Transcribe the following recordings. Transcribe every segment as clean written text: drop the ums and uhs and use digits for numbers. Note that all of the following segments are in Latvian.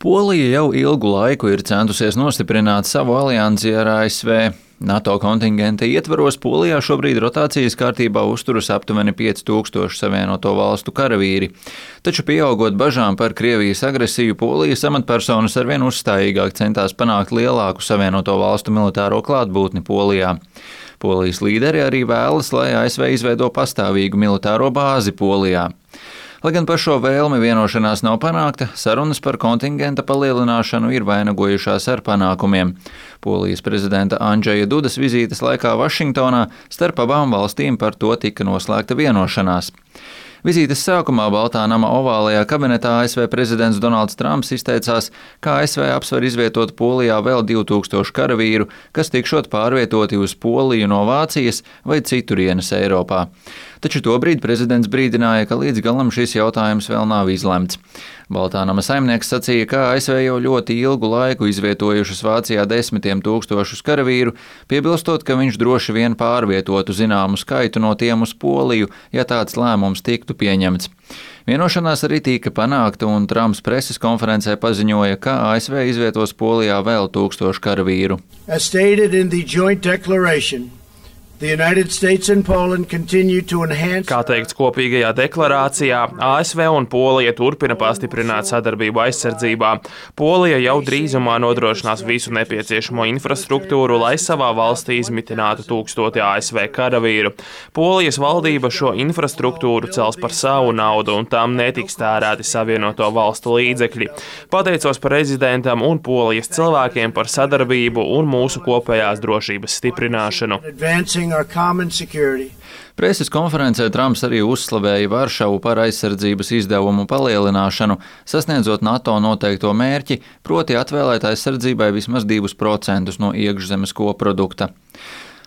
Polija jau ilgu laiku ir centusies nostiprināt savu aliansi ar ASV. NATO kontingenta ietvaros Polijā šobrīd rotācijas kārtībā uzturas aptuveni 5000 Savienoto Valstu karavīri. Taču pieaugot bažām par Krievijas agresiju, Polijas amatpersonas arvien uzstājīgāk centās panākt lielāku Savienoto Valstu militāro klātbūtni Polijā. Polijas līderi arī vēlas, lai ASV izveido pastāvīgu militāro bāzi Polijā. Lai gan par šo vēlmi vienošanās nav panākta, sarunas par kontingenta palielināšanu ir vainagojušās ar panākumiem. Polijas prezidenta Andžeja Dudas vizītes laikā Vašingtonā starp abām valstīm par to tika noslēgta vienošanās. Vizītes sākumā Baltā nama ovālajā kabinetā ASV prezidents Donalds Trumps izteicās, ka ASV apsver izvietot Polijā vēl 2000 karavīru, kas tikšot pārvietoti uz Poliju no Vācijas vai citurienes Eiropā. Taču tobrīd prezidents brīdināja, ka līdz galam šis jautājums vēl nav izlemts. Baltā nama saimnieks sacīja, ka ASV jau ļoti ilgu laiku izvietojušas Vācijā 10 000 karavīru, piebilstot, ka viņš droši vien pārvietotu zināmu skaitu no tiem uz Poliju, ja tāds lēmums tiktu pieņemts. Vienošanās arī tika panākta, un Trumps preses konferencē paziņoja, ka ASV izvietos Polijā vēl 1000 karavīru. Kā teikts kopīgajā deklarācijā, ASV un Polija turpina pastiprināt sadarbību aizsardzībā. Polija jau drīzumā nodrošinās visu nepieciešamo infrastruktūru, lai savā valstī izmitinātu 1000 ASV karavīru. Polijas valdība šo infrastruktūru cels par savu naudu, un tam netiks tērēti Savienoto Valstu līdzekļi. Pateicos prezidentam un Polijas cilvēkiem par sadarbību un mūsu kopējās drošības stiprināšanu. Preses konferencē Trumps arī uzslavēja Varšavu par aizsardzības izdevumu palielināšanu, sasniedzot NATO noteikto mērķi, proti atvēlēt aizsardzībai vismaz 2% no iekšzemes koprodukta.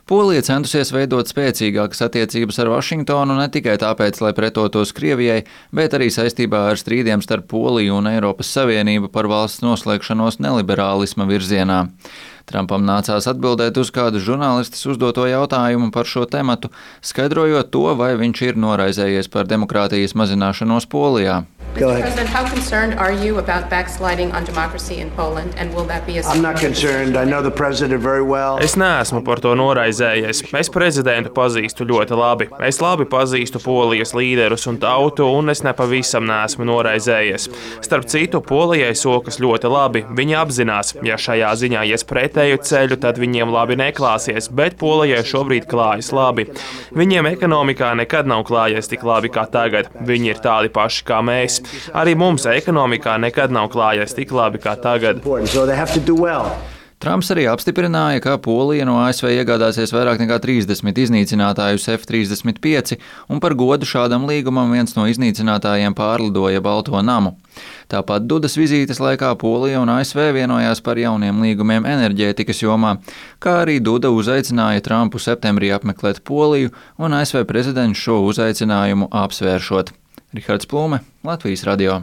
Polija centusies veidot spēcīgākas attiecības ar Vašingtonu ne tikai tāpēc, lai pretotos Krievijai, bet arī saistībā ar strīdiem starp Poliju un Eiropas Savienību par valsts noslēgšanos neliberālisma virzienā. Trumpam nācās atbildēt uz kādu žurnālistes uzdoto jautājumu par šo tematu, skaidrojot to, vai viņš ir noraizējies par demokrātijas mazināšanos Polijā. Es neesmu par to noraizējies. Es prezidentu pazīstu ļoti labi. Es labi pazīstu Polijas līderus un tautu, un es nepavisam neesmu noraizējies. Starp citu, Polijai sokas ļoti labi. Viņi apzinās, ja šajā ziņā ies pretēju ceļu, tad viņiem labi neklāsies, bet Polijai šobrīd klājas labi. Viņiem ekonomikā nekad nav klājies tik labi kā tagad. Viņi ir tādi paši kā mēs. Arī mums ekonomikā nekad nav klājies tik labi kā tagad. Trumps arī apstiprināja, ka Polija no ASV iegādāsies vairāk nekā 30 iznīcinātājus F-35, un par godu šādam līgumam viens no iznīcinātājiem pārlidoja Balto namu. Tāpat Dudas vizītes laikā Polija un ASV vienojās par jauniem līgumiem enerģētikas jomā, kā arī Duda uzaicināja Trumpu septembrī apmeklēt Poliju, un ASV prezidents šo uzaicinājumu apsvēršot. Rihards Plūme, Latvijas radio.